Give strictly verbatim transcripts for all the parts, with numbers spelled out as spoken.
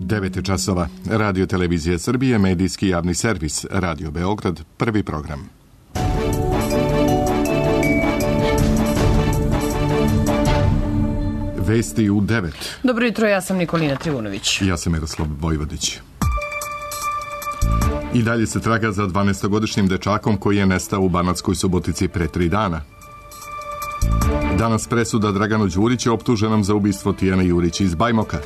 devet časova. Radio Televizija Srbije, medijski javni servis, Radio Beograd, prvi program. Vesti u devet. Dobro jutro, ja sam Nikolina Trivunović. Ja sam Miroslav Vojvodić. I dalje se traga za dvanaestogodišnjim dečakom koji je nestao u Banatskoj Subotici pre tri dana. Danas presuda Draganu Đuriću optuženom za ubistvo Tijane Jurić iz Bajmoka.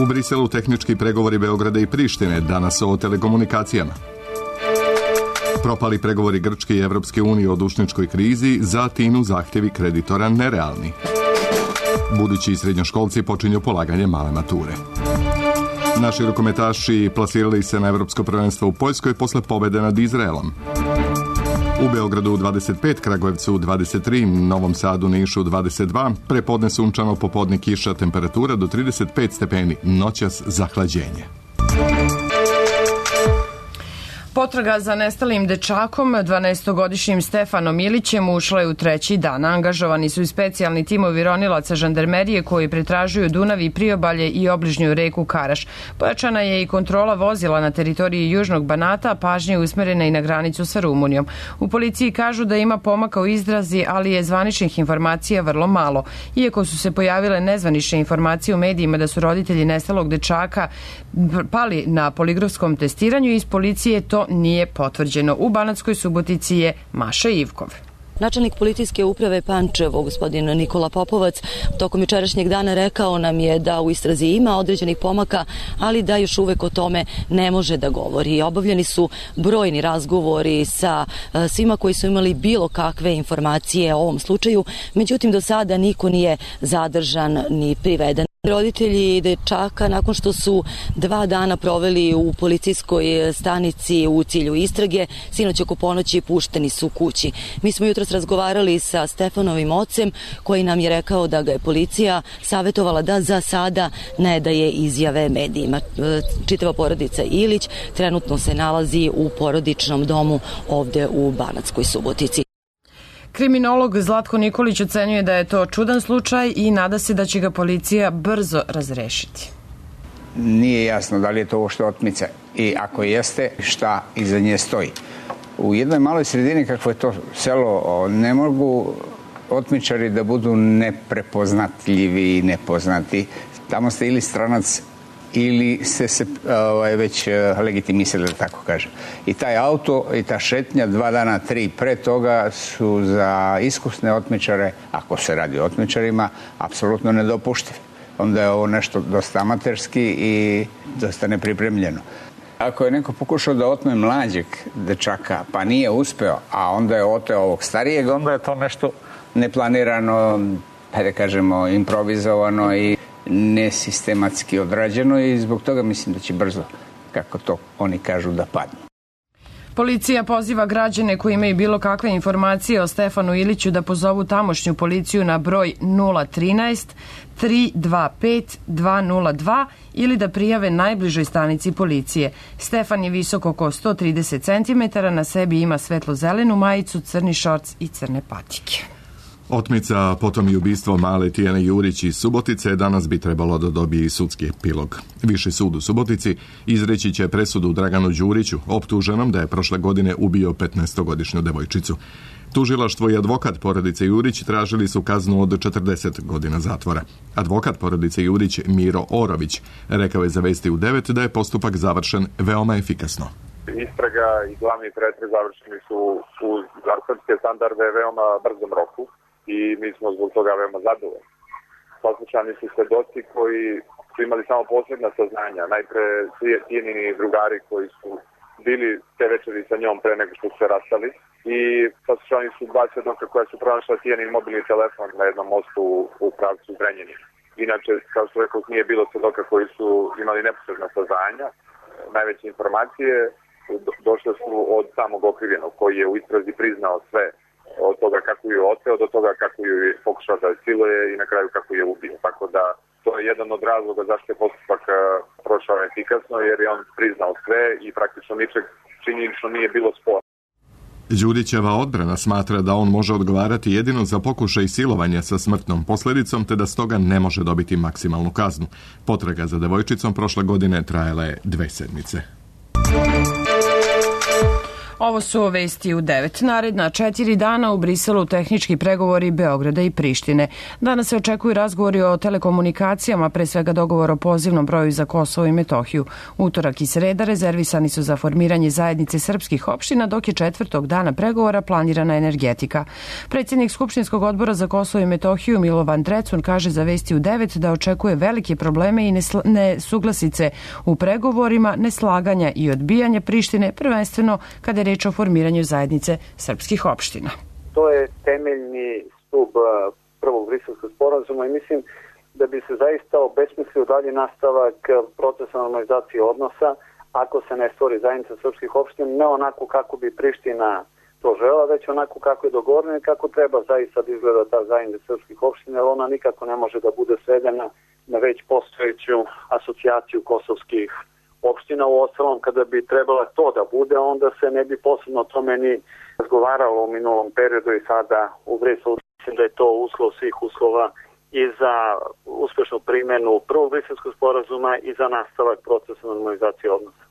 U Briselu tehnički pregovori Beograda i Prištine, danas o telekomunikacijama. Propali pregovori Grčke i Evropske unije o dužničkoj krizi, za Tinu zahtjevi kreditora nerealni. Budući srednjoškolci počinju polaganje male mature. Naši rukometaši plasirali se na Evropsko prvenstvo u Poljskoj posle pobede nad Izraelom. U Beogradu dvadeset pet, Kragujevcu dvadeset tri, Novom Sadu, Nišu dvadeset dva, prepodne sunčano, popodne kiša, temperatura do trideset pet stepeni, noćas zahlađenje. Potraga za nestalim dečakom, dvanaestogodišnjim Stefanom Ilićem, ušla je u treći dan. Angažovani su i specijalni timovi ronilaca žandarmerije koji pretražuju Dunav i priobalje i obližnju reku Karaš. Pojačana je i kontrola vozila na teritoriji Južnog Banata, pažnje usmerena i na granicu sa Rumunijom. U policiji kažu da ima pomaka u izrazi, ali je zvaničnih informacija vrlo malo. Iako su se pojavile nezvanične informacije u medijima da su roditelji nestalog dečaka pali na poligrafskom testiranju, iz policije to nije potvrđeno. U Banatskoj Subotici je Maša Ivkov. Načelnik policijske uprave Pančevo, gospodin Nikola Popovac, tokom jučerašnjeg dana rekao nam je da u istrazi ima određenih pomaka, ali da još uvek o tome ne može da govori. Obavljeni su brojni razgovori sa svima koji su imali bilo kakve informacije o ovom slučaju, međutim do sada niko nije zadržan ni priveden. Roditelji dečaka, nakon što su dva dana proveli u policijskoj stanici u cilju istrage, sinoć oko ponoći pušteni su kući. Mi smo jutros razgovarali sa Stefanovim ocem, koji nam je rekao da ga je policija savjetovala da za sada ne daje izjave medijima. Čitava porodica Ilić trenutno se nalazi u porodičnom domu ovde u Banatskoj Subotici. Kriminolog Zlatko Nikolić ocenjuje da je to čudan slučaj i nada se da će ga policija brzo razrešiti. Nije jasno da li je to uopšte otmica i ako jeste, šta iza nje stoji. U jednoj maloj sredini kakvo je to selo, ne mogu otmičari da budu neprepoznatljivi i nepoznati. Tamo ste ili stranac ili ste se ovaj, već legitimisali, da tako kažem. I taj auto i ta šetnja dva dana, tri pre toga su za iskusne otmičare, ako se radi o otmičarima, apsolutno nedopuštivi. Onda je ovo nešto dosta amaterski i dosta nepripremljeno. Ako je neko pokušao da otme mlađeg dečaka, pa nije uspeo, a onda je oteo ovog starijeg, onda je to nešto neplanirano, da kažemo, improvizovano i nesistematski odrađeno i zbog toga mislim da će brzo, kako to oni kažu, da padnu. Policija poziva građane koji imaju bilo kakve informacije o Stefanu Iliću da pozovu tamošnju policiju na broj nula trinaest tri dva pet dva nula dva ili da prijave najbližoj stanici policije. Stefan je visok oko sto trideset centimetara, na sebi ima svetlo-zelenu majicu, crni šorc i crne patike. Otmica, potom i ubistvo male Tijane Jurić iz Subotice, danas bi trebalo da dobije i sudski epilog. Viši sud u Subotici izreći će presudu Draganu Đuriću, optuženom da je prošle godine ubio petnaestogodišnju devojčicu. Tužilaštvo i advokat porodice Jurić tražili su kaznu od četrdeset godina zatvora. Advokat porodice Jurić, Miro Orović, rekao je za Vesti u devet da je postupak završen veoma efikasno. Istraga i glavni pretres završeni su u zakonske standarde veoma brzom roku i mi smo zbog toga veoma zadovoljni. Saslušani su svedoci koji su imali samo posebna saznanja. Najpre Tijenini drugari koji su bili te večeri sa njom pre nego što su se rastali i saslušani su dva svedoka koja su pronašla Tijenin mobilni telefon na jednom mostu u pravcu Zrenjanina. Inače, kao što rekao, nije bilo svedoka koji su imali neposredna saznanja. Najveće informacije došle su od samog okrivljenog koji je u istrazi priznao sve od toga kako ju je oteo do toga kako ju je pokušao da siluje i na kraju kako je ubio. Tako da to je jedan od razloga zašto je postupak prošao efikasno, jer je on priznao sve i praktično ničeg činjenično nije bilo spora. Đurićeva odbrana smatra da on može odgovarati jedino za pokušaj silovanja sa smrtnom posljedicom, te da stoga ne može dobiti maksimalnu kaznu. Potraga za devojčicom prošle godine trajala je dve sedmice. Ovo su vesti u devet. Naredna četiri dana u Briselu tehnički pregovori Beograda i Prištine. Danas se očekuju razgovori o telekomunikacijama, pre svega dogovor o pozivnom broju za Kosovo i Metohiju. Utorak i sreda rezervisani su za formiranje zajednice srpskih opština, dok je četvrtog dana pregovora planirana energetika. Predsjednik Skupštinskog odbora za Kosovo i Metohiju Milovan Drecun kaže za vesti u devet da očekuje velike probleme i nesuglasice u pregovorima, neslaganja i odbijanja Prištine, prvenstveno kada je reč o formiranju zajednice srpskih opština. To je temeljni stub prvog briselskog sporazuma i mislim da bi se zaista obesmislio dalje nastavak procesa normalizacije odnosa ako se ne stvori zajednica srpskih opština, ne onako kako bi Priština to žela, već onako kako je dogovoreno i kako treba zaista da izgleda ta zajednica srpskih opština, jer ona nikako ne može da bude svedena na već postojeću asocijaciju kosovskih opština. U ostalom, kada bi trebala to da bude, onda se ne bi posebno o tome ni razgovaralo u minulom periodu i sada u Briselu. Mislim da je to uslov svih uslova i za uspešnu primjenu prvog briselskog sporazuma i za nastavak procesa normalizacije odnosa.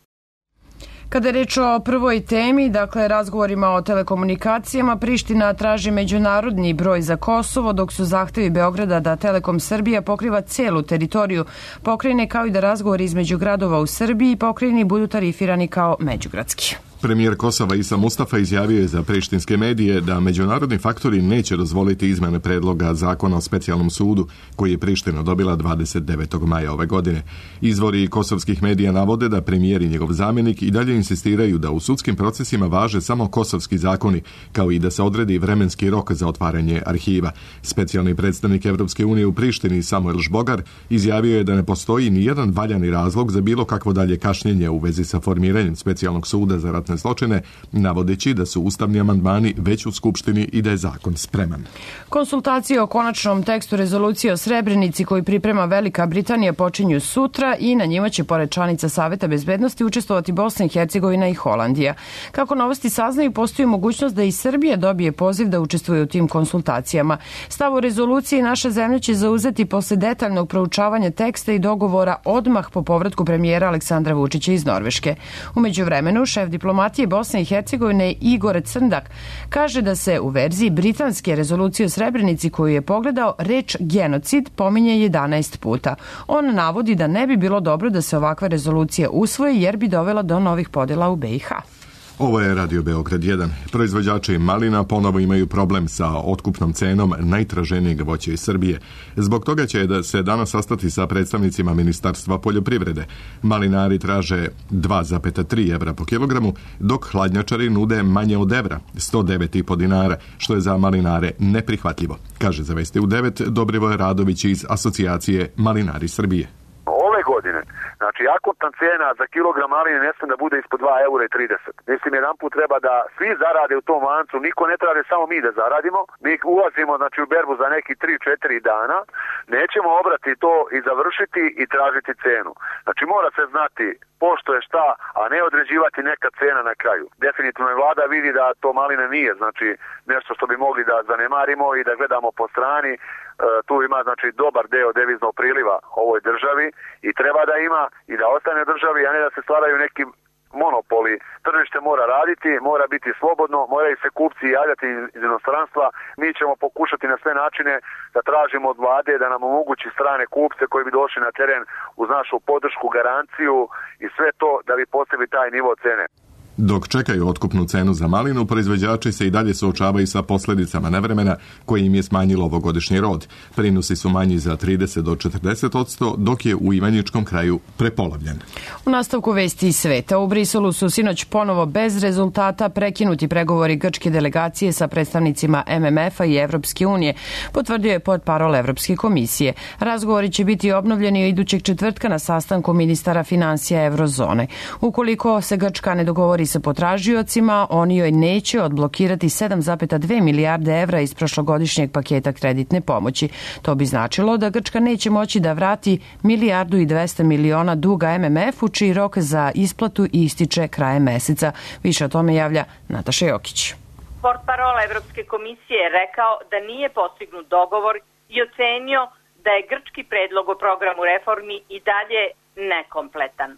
Kada je reč o prvoj temi, dakle razgovorima o telekomunikacijama, Priština traži međunarodni broj za Kosovo, dok su zahtevi Beograda da Telekom Srbija pokriva celu teritoriju pokrajine, kao i da razgovori između gradova u Srbiji i pokrajini budu tarifirani kao međugradski. Premijer Kosova Isa Mustafa izjavio je za prištinske medije da međunarodni faktori neće dozvoliti izmene predloga zakona o specijalnom sudu koji je Priština dobila dvadeset devetog maja ove godine. Izvori kosovskih medija navode da premijer i njegov zamjenik i dalje insistiraju da u sudskim procesima važe samo kosovski zakoni, kao i da se odredi vremenski rok za otvaranje arhiva. Specijalni predstavnik Evropske unije u Prištini Samuel Žbogar izjavio je da ne postoji ni jedan valjani razlog za bilo kakvo dalje kašnjenje u vezi sa formiranjem specijalnog suda za ratne zločine, navodeći da su ustavni amandmani već u Skupštini i da je zakon spreman. Konsultacije o konačnom tekstu rezolucije o Srebrenici koji priprema Velika Britanija počinju sutra i na njima će pored članica Saveta bezbednosti učestvovati Bosna i Hercegovina i Holandija. Kako novosti saznaju, postoji mogućnost da i Srbija dobije poziv da učestvuje u tim konsultacijama. Stav o rezoluciji naša zemlja će zauzeti posle detaljnog proučavanja teksta i dogovora odmah po povratku premijera Aleksandra Vučića iz Norveške. U međuvremenu, šef diplomatije Bosne i Hercegovine Igor Crndak kaže da se u verziji britanske rezolucije o Srebrenici koju je pogledao reč genocid pominje jedanaest puta. On navodi da ne bi bilo dobro da se ovakva rezolucija usvoji jer bi dovela do novih podjela u B i H. Ovo je Radio Beograd jedan. Proizvođači malina ponovo imaju problem sa otkupnom cenom najtraženijeg voća iz Srbije. Zbog toga će da se danas sastati sa predstavnicima Ministarstva poljoprivrede. Malinari traže dva zarez tri evra po kilogramu, dok hladnjačari nude manje od evra, sto devet i po dinara, što je za malinare neprihvatljivo, kaže za Vesti u devet Dobrivoje Radović iz Asocijacije Malinari Srbije. Ove godine, znači akutna cena za kilogram maline ne smije da bude ispod dva eura i trideset. Mislim, jedan put treba da svi zarade u tom lancu, niko ne traže samo mi da zaradimo. Mi ulazimo znači, u berbu za neki tri četiri dana, nećemo obrati to i završiti i tražiti cenu. Znači mora se znati pošto je šta, a ne određivati neka cena na kraju. Definitivno je vlada vidi da to maline nije, znači nešto što bi mogli da zanemarimo i da gledamo po strani. E, tu ima znači dobar deo deviznog priliva ovoj državi i treba da ima i da ostane državi, a ne da se stvaraju neki monopoli. Tržište mora raditi, mora biti slobodno, moraju se kupci javljati iz inostranstva. Mi ćemo pokušati na sve načine da tražimo od vlade da nam omogući strane kupce koji bi došli na teren uz našu podršku, garanciju i sve to da bi postigli taj nivo cene. Dok čekaju otkupnu cenu za malinu, proizvođači se i dalje suočavaju sa posljedicama nevremena koje im je smanjilo ovogodišnji rod. Prinosi su manji za trideset do četrdeset posto, dok je u Ivanjičkom kraju prepolovljen. U nastavku vesti iz sveta, u Briselu su sinoć ponovo bez rezultata prekinuti pregovori grčke delegacije sa predstavnicima M M F-a i Evropske unije, potvrdio je portparol Evropske komisije. Razgovori će biti obnovljeni idućeg četvrtka na sastanku ministara finansija Eurozone. Ukoliko se Grčka ne dogovori sa potražiocima, oni joj neće odblokirati sedam zarez dve milijarde evra iz prošlogodišnjeg paketa kreditne pomoći. To bi značilo da Grčka neće moći da vrati milijardu i dvesta miliona duga M M F-u, čiji rok za isplatu ističe krajem meseca. Više o tome javlja Nataša Jokić. Portparol Evropske komisije je rekao da nije postignut dogovor i ocenio da je grčki predlog o programu reformi i dalje nekompletan.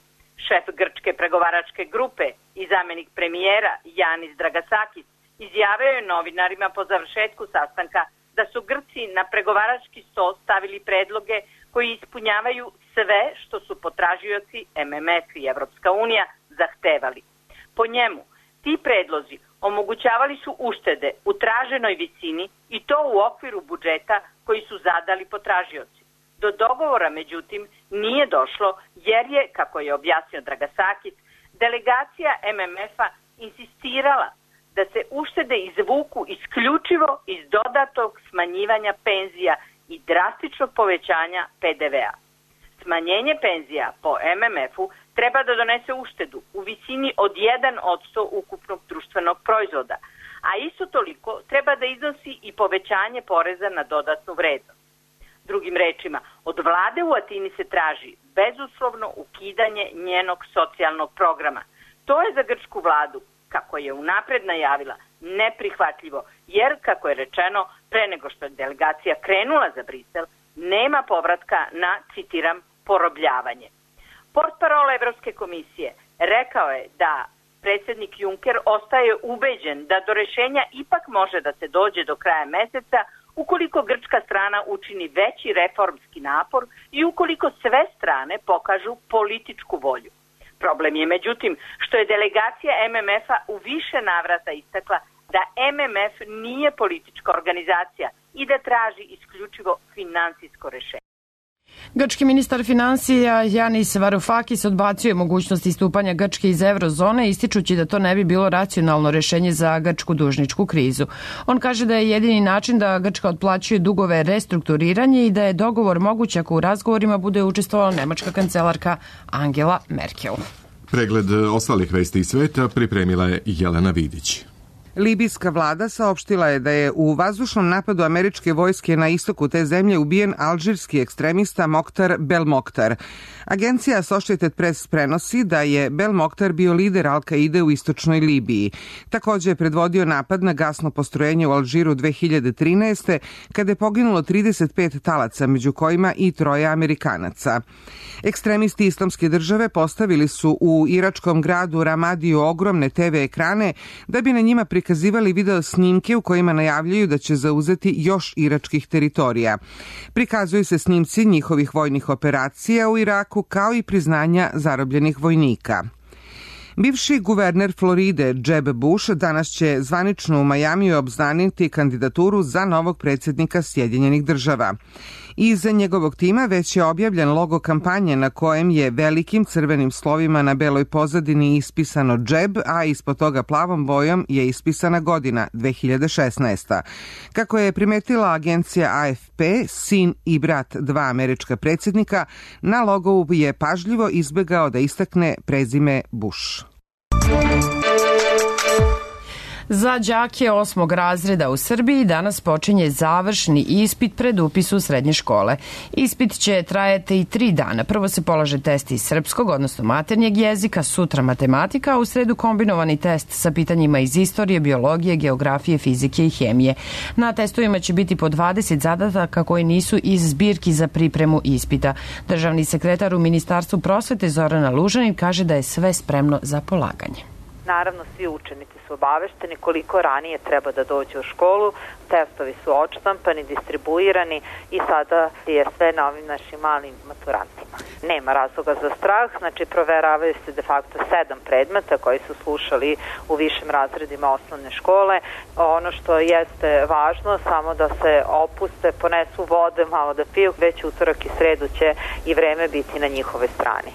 Šef grčke pregovaračke grupe i zamenik premijera Janis Dragasakis izjavio je novinarima po završetku sastanka da su Grci na pregovarački sto stavili predloge koji ispunjavaju sve što su potražioci M M F i Evropska unija zahtevali. Po njemu, ti predlozi omogućavali su uštede u traženoj visini i to u okviru budžeta koji su zadali potražioci. Do dogovora, međutim, nije došlo jer je, kako je objasnio Dragasakis, delegacija M M F-a insistirala da se uštede izvuku isključivo iz dodatog smanjivanja penzija i drastičnog povećanja P D V-a. Smanjenje penzija po M M F-u treba da donese uštedu u visini od jedan posto ukupnog društvenog proizvoda, a isto toliko treba da iznosi i povećanje poreza na dodatnu vrednost. Drugim rečima, od vlade u Atini se traži bezuslovno ukidanje njenog socijalnog programa. To je za grčku vladu, kako je unapred najavila, neprihvatljivo, jer, kako je rečeno, pre nego što je delegacija krenula za Brisel, nema povratka na, citiram, porobljavanje. Portparol Evropske komisije rekao je da predsjednik Juncker ostaje ubeđen da do rešenja ipak može da se dođe do kraja meseca ukoliko grčka strana učini veći reformski napor i ukoliko sve strane pokažu političku volju. Problem je, međutim, što je delegacija M M F-a u više navrata istakla da M M F nije politička organizacija i da traži isključivo finansijsko rešenje. Grčki ministar finansija Janis Varoufakis odbacio je mogućnost istupanja Grčke iz eurozone, ističući da to ne bi bilo racionalno rešenje za grčku dužničku krizu. On kaže da je jedini način da Grčka otplaćuje dugove restrukturiranje i da je dogovor moguć ako u razgovorima bude učestvovala nemačka kancelarka Angela Merkel. Pregled ostalih vesti iz sveta pripremila je Jelena Vidić. Libijska vlada saopštila je da je u vazdušnom napadu američke vojske na istoku te zemlje ubijen alžirski ekstremista Moktar Belmoktar. Agencija Associated Press prenosi da je Belmoktar bio lider Al-Kaide u istočnoj Libiji. Također je predvodio napad na gasno postrojenje u Alžiru dve hiljade trinaeste. kada je poginulo trideset pet talaca, među kojima i troje Amerikanaca. Ekstremisti Islamske države postavili su u iračkom gradu Ramadiju ogromne te ve ekrane da bi na njima prikazivali video snimke u kojima najavljuju da će zauzeti još iračkih teritorija. Prikazuju se snimci njihovih vojnih operacija u Iraku kao i priznanja zarobljenih vojnika. Bivši guverner Floride Jeb Bush danas će zvanično u Majamiju obznaniti kandidaturu za novog predsjednika Sjedinjenih država. Iza njegovog tima već je objavljen logo kampanje na kojem je velikim crvenim slovima na beloj pozadini ispisano Jeb, a ispod toga plavom bojom je ispisana godina dve hiljade šesnaesta. Kako je primetila agencija A F P, sin i brat dva američka predsjednika, na logovu je pažljivo izbegao da istakne prezime Bush. Za đake osmog razreda u Srbiji danas počinje završni ispit pred upis u srednje škole. Ispit će trajati i tri dana. Prvo se polaže test iz srpskog, odnosno maternjeg jezika, sutra matematika, a u sredu kombinovani test sa pitanjima iz istorije, biologije, geografije, fizike i hemije. Na testovima će biti po dvadeset zadataka koji nisu iz zbirki za pripremu ispita. Državni sekretar u Ministarstvu prosvete Zorana Lužanin kaže da je sve spremno za polaganje. Naravno, svi učenici su obavešteni koliko ranije treba da dođe u školu, testovi su odštampani, distribuirani i sada je sve na ovim našim malim maturantima. Nema razloga za strah, znači proveravaju se de facto sedam predmeta koji su slušali u višim razredima osnovne škole. Ono što jeste važno, samo da se opuste, ponesu vode, malo da piju, već utorak i sredu će i vreme biti na njihove strani.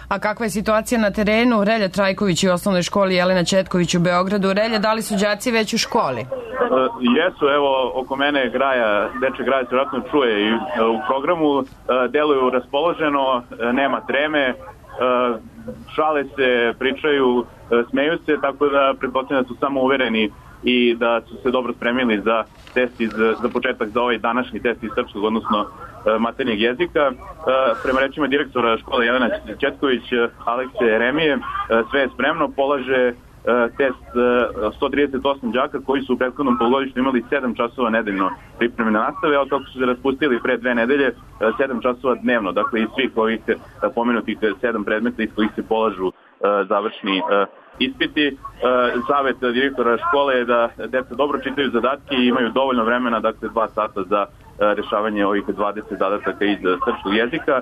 A kakva je situacija na terenu? Relja Trajković u osnovnoj školi Jelena Četković u Beogradu. Relja, da li su đaci već u školi? Uh, jesu, evo, oko mene graja, deče graja se vratno čuje i uh, u programu, uh, deluju raspoloženo, uh, nema treme, uh, šale se, pričaju, uh, smeju se, tako da pretpostavljam da su samo uvereni i da su se dobro spremili za test iz, za početak za ovaj današnji test iz srpskog, odnosno maternjeg jezika. Prema rečima direktora škole Jelena Četković, Alekse Remije, sve je spremno, polaže test sto trideset osam đaka koji su u prethodnom polugodištu imali sedam časova nedeljno pripremne nastave, a od toga su se raspustili pre dve nedelje sedam časova dnevno, dakle iz svih ovih pomenutih sedam predmeta iz kojih se polažu završni ispiti. Savet direktora škole je da deca dobro čitaju zadatke i imaju dovoljno vremena, dakle dva sata za rešavanje ovih dvadeset zadataka iz srpskog jezika.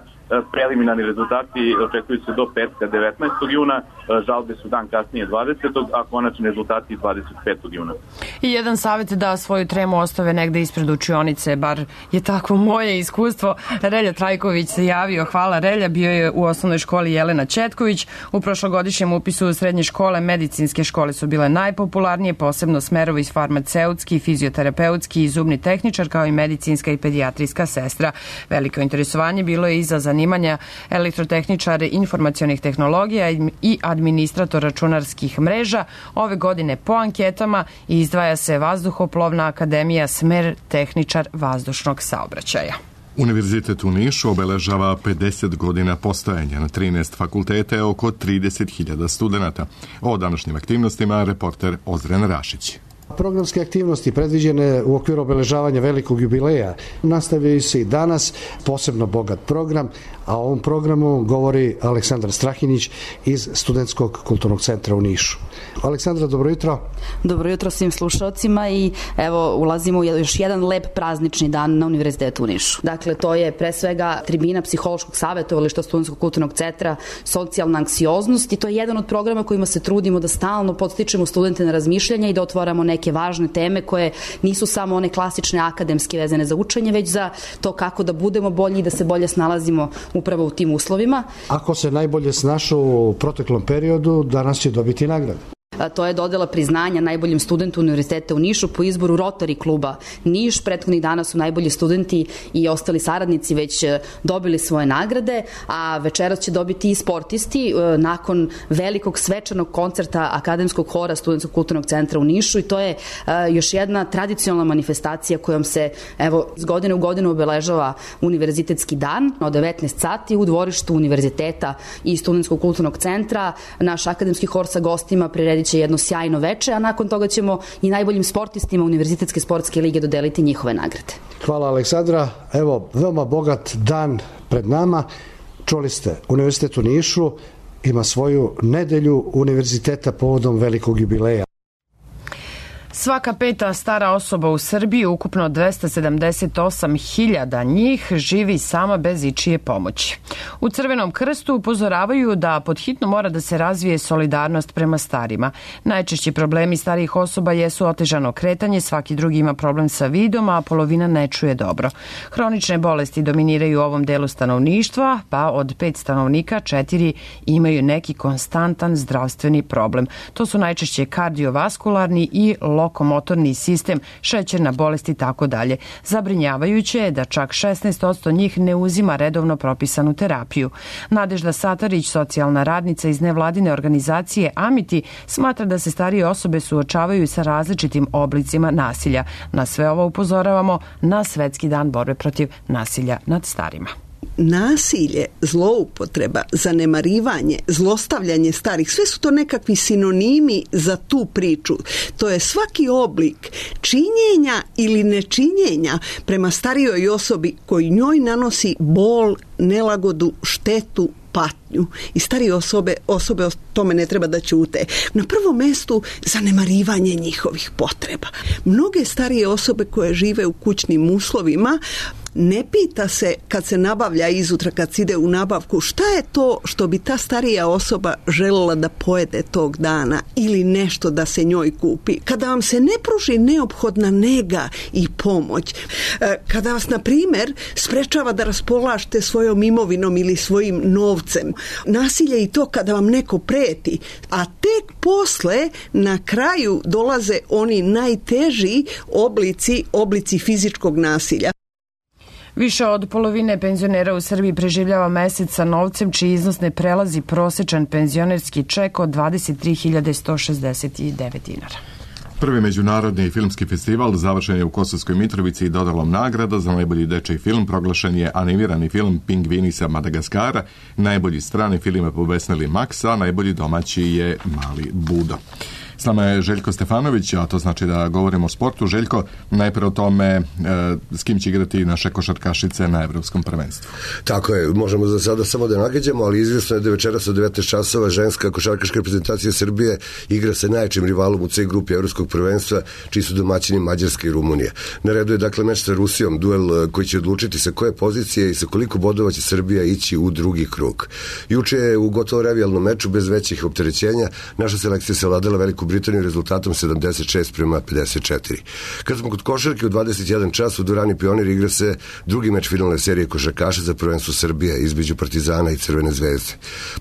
Preliminarni rezultati očekuju se do petka devetnaestog juna, žalbe su dan kasnije dvadesetog a konačni rezultati dvadeset petog juna. I jedan savjet da svoju tremu ostave negde ispred učionice, bar je tako moje iskustvo. Relja Trajković se javio, hvala Relja, bio je u osnovnoj školi Jelena Četković. U prošlogodišnjem upisu u srednje škole medicinske škole su bile najpopularnije, posebno smerovi farmaceutski, fizioterapeutski i zubni tehničar, kao i medicinska i pedijatrijska sestra. Veliko interesovanje bilo je i za zanimanja elektrotehničare informacionih tehnologija i administrator računarskih mreža. Ove godine po anketama izdvaja se Vazduhoplovna akademija, smer tehničar vazdušnog saobraćaja. Univerzitet u Nišu obeležava pedeset godina postojanja. Na trinaest fakulteta je oko trideset hiljada studenta. O današnjim aktivnostima reporter Ozren Rašić. Programske aktivnosti predviđene u okviru obeležavanja velikog jubileja nastavljaju se i danas, posebno bogat program, a o ovom programu govori Aleksandar Strahinić iz Studentskog kulturnog centra u Nišu. Aleksandra, dobro jutro. Dobro jutro svim slušalcima i evo ulazimo u još jedan lep praznični dan na Univerzitetu u Nišu. Dakle, to je pre svega tribina psihološkog savjetovališta Studentskog kulturnog centra, socijalna anksioznost, i to je jedan od programa kojima se trudimo da stalno podstičemo studente na razmišljanje i da otvaramo neke važne teme koje nisu samo one klasične akademske vezane za učenje, već za to kako da budemo bolji i da se bolje snalazimo upravo u tim uslovima. Ako se najbolje snašao u proteklom periodu, danas će dobiti nagradu. To je dodela priznanja najboljim studentu Univerziteta u Nišu po izboru Rotary kluba Niš. Prethodnih dana su najbolji studenti i ostali saradnici već dobili svoje nagrade, a večeras će dobiti i sportisti nakon velikog svečanog koncerta Akademskog hora Studentskog kulturnog centra u Nišu, i to je još jedna tradicionalna manifestacija kojom se evo iz godine u godinu obeležava Univerzitetski dan od devetnaest sati u dvorištu Univerziteta i Studentskog kulturnog centra. Naš Akademski hor sa gostima priredit će jedno sjajno veče, a nakon toga ćemo i najboljim sportistima Univerzitetske sportske lige dodeliti njihove nagrade. Hvala Aleksandra. Evo, veoma bogat dan pred nama. Čuli ste, Univerzitet u Nišu ima svoju nedelju univerziteta povodom velikog jubileja. Svaka peta stara osoba u Srbiji, ukupno dvesta sedamdeset osam hiljada njih, živi sama bez ičije pomoći. U Crvenom krstu upozoravaju da pod hitno mora da se razvije solidarnost prema starima. Najčešći problemi starijih osoba jesu otežano kretanje, svaki drugi ima problem sa vidom, a polovina ne čuje dobro. Hronične bolesti dominiraju u ovom delu stanovništva, pa od pet stanovnika četiri imaju neki konstantan zdravstveni problem. To su najčešće kardiovaskularni i lokomotorni sistem, šećerna bolest i tako dalje. Zabrinjavajuće je da čak šesnaest posto njih ne uzima redovno propisanu terapiju. Nadežda Satarić, socijalna radnica iz nevladine organizacije Amiti, smatra da se starije osobe suočavaju sa različitim oblicima nasilja. Na sve ovo upozoravamo na Svetski dan borbe protiv nasilja nad starima. Nasilje, zloupotreba, zanemarivanje, zlostavljanje starih, sve su to nekakvi sinonimi za tu priču. To je svaki oblik činjenja ili nečinjenja prema starijoj osobi koji njoj nanosi bol, nelagodu, štetu, patnju. I starije osobe, osobe o tome ne treba da ćute. Na prvom mestu zanemarivanje njihovih potreba. Mnoge starije osobe koje žive u kućnim uslovima ne pita se kad se nabavlja izutra, kad se ide u nabavku, šta je to što bi ta starija osoba željela da pojede tog dana ili nešto da se njoj kupi. Kada vam se ne pruži neophodna nega i pomoć, kada vas, na primjer, sprečava da raspolažete svojom imovinom ili svojim novcem, nasilje i to kada vam neko preti, a tek posle na kraju dolaze oni najteži oblici, oblici fizičkog nasilja. Više od polovine penzionera u Srbiji preživljava mesec sa novcem čiji iznos ne prelazi prosečan penzionerski ček od dvadeset tri hiljade sto šezdeset devet dinara. Prvi međunarodni filmski festival završen je u Kosovskoj Mitrovici i dodalom nagrada. Za najbolji dečiji film proglašen je animirani film Pingvini sa Madagaskara, najbolji strani film je Pobesneli Max, a najbolji domaći je Mali Budo. S nama je Željko Stefanović, a to znači da govorimo o sportu. Željko, najpre o tome e, s kim će igrati naše košarkašice na Evropskom prvenstvu. Tako je, možemo za sada samo da nagađamo, ali izvjesno je da večeras od devetnaest časova ženska košarkaška reprezentacija Srbije igra sa najjačim rivalom u C grupi Evropskog prvenstva, čiji su domaćini Mađarska i Rumunija. Na redu je dakle meč sa Rusijom, duel koji će odlučiti sa koje pozicije i sa koliko bodova će Srbija ići u drugi krug. Juče je u gotovo revijalnom meču bez većih opterećenja naša selekcija savladala Veliku Britaniju rezultatom sedamdeset šest prema pedeset četiri. Kad smo kod košarke, u dvadeset jedan čas u dvorani Pionir igra se drugi meč finalne serije košarkaša za prvenstvo Srbije između Partizana i Crvene zvezde.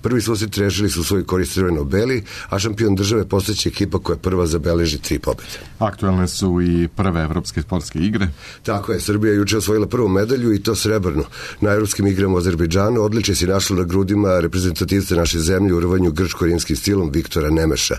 Prvi susret rešili su u svoj korist crveno-beli, a šampion države postaće ekipa koja prva zabeleži tri pobjede. Aktualne su i prve evropske sportske igre. Tako je, Srbija je juče osvojila prvu medalju i to srebrnu. Na evropskim igrama u Azerbejdžanu odličje si našlo na grudima reprezentativca naše zemlje u rvanju grčko-rimskim stilom Viktora Nemeša.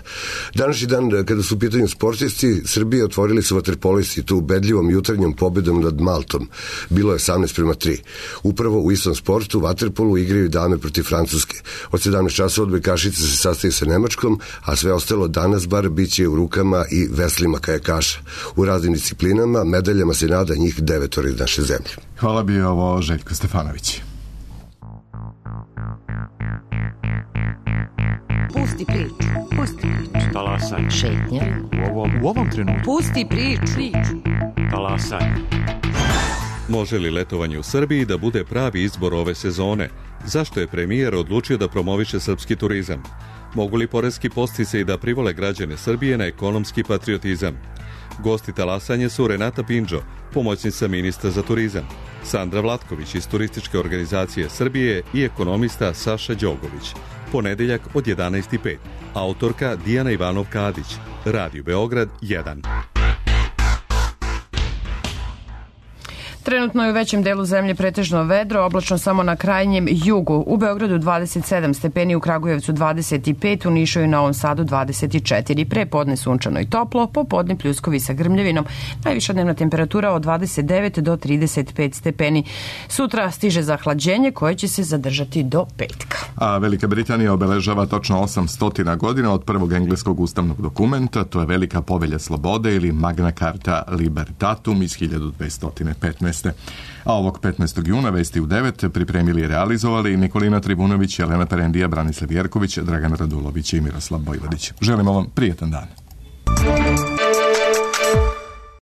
Danas dan, kada su u pitanju sportisti, Srbije otvorili su vaterpolisti tu ubedljivom jutarnjom pobedom nad Maltom. Bilo je osamnaest prema tri. Upravo u istom sportu, vaterpolu, igraju dame protiv Francuske. Od sedamnaest časova odbojkašice se sastaje sa Nemačkom, a sve ostalo danas bar bit će u rukama i veslima kajakaša. U raznim disciplinama, medaljama se nada njih devetora iz naše zemlje. Hvala bi ovo Željko Stefanović. Pusti priču, pusti priču. Talasaj. Šetnja. U ovom, u ovom trenutku. Pusti priču. Talasaj. Može li letovanje u Srbiji da bude pravi izbor ove sezone? Zašto je premijer odlučio da promoviše srpski turizam? Mogu li poreski podsticaji da privole građane Srbije na ekonomski patriotizam? Gosti talasanje su Renata Pindžo, pomoćnica ministra za turizam, Sandra Vlatković iz Turističke organizacije Srbije i ekonomista Saša Đogović. Ponedeljak od jedanaest i pet. Autorka Dijana Ivanov-Kadić. Radio Beograd jedan. Trenutno je u većem delu zemlje pretežno vedro, oblačno samo na krajnjem jugu. U Beogradu dvadeset sedam stepeni, u Kragujevcu dvadeset pet, u Nišu i Novom Sadu dvadeset četiri. Pre podne sunčano i toplo, popodne pljuskovi sa grmljavinom. Najviša dnevna temperatura od dvadeset devet do trideset pet stepeni. Sutra stiže zahlađenje koje će se zadržati do petka. A Velika Britanija obeležava točno osamsto godina od prvog engleskog ustavnog dokumenta, to je Velika povelja slobode ili Magna Carta Libertatum iz hiljadu dvesta petnaeste. A ovog petnaestog juna vesti u devet pripremili i realizovali Nikolina Tribunović, Jelena Perendija, Branislav Jerković, Dragan Radulović i Miroslav Bojvodić. Želimo vam prijetan dan.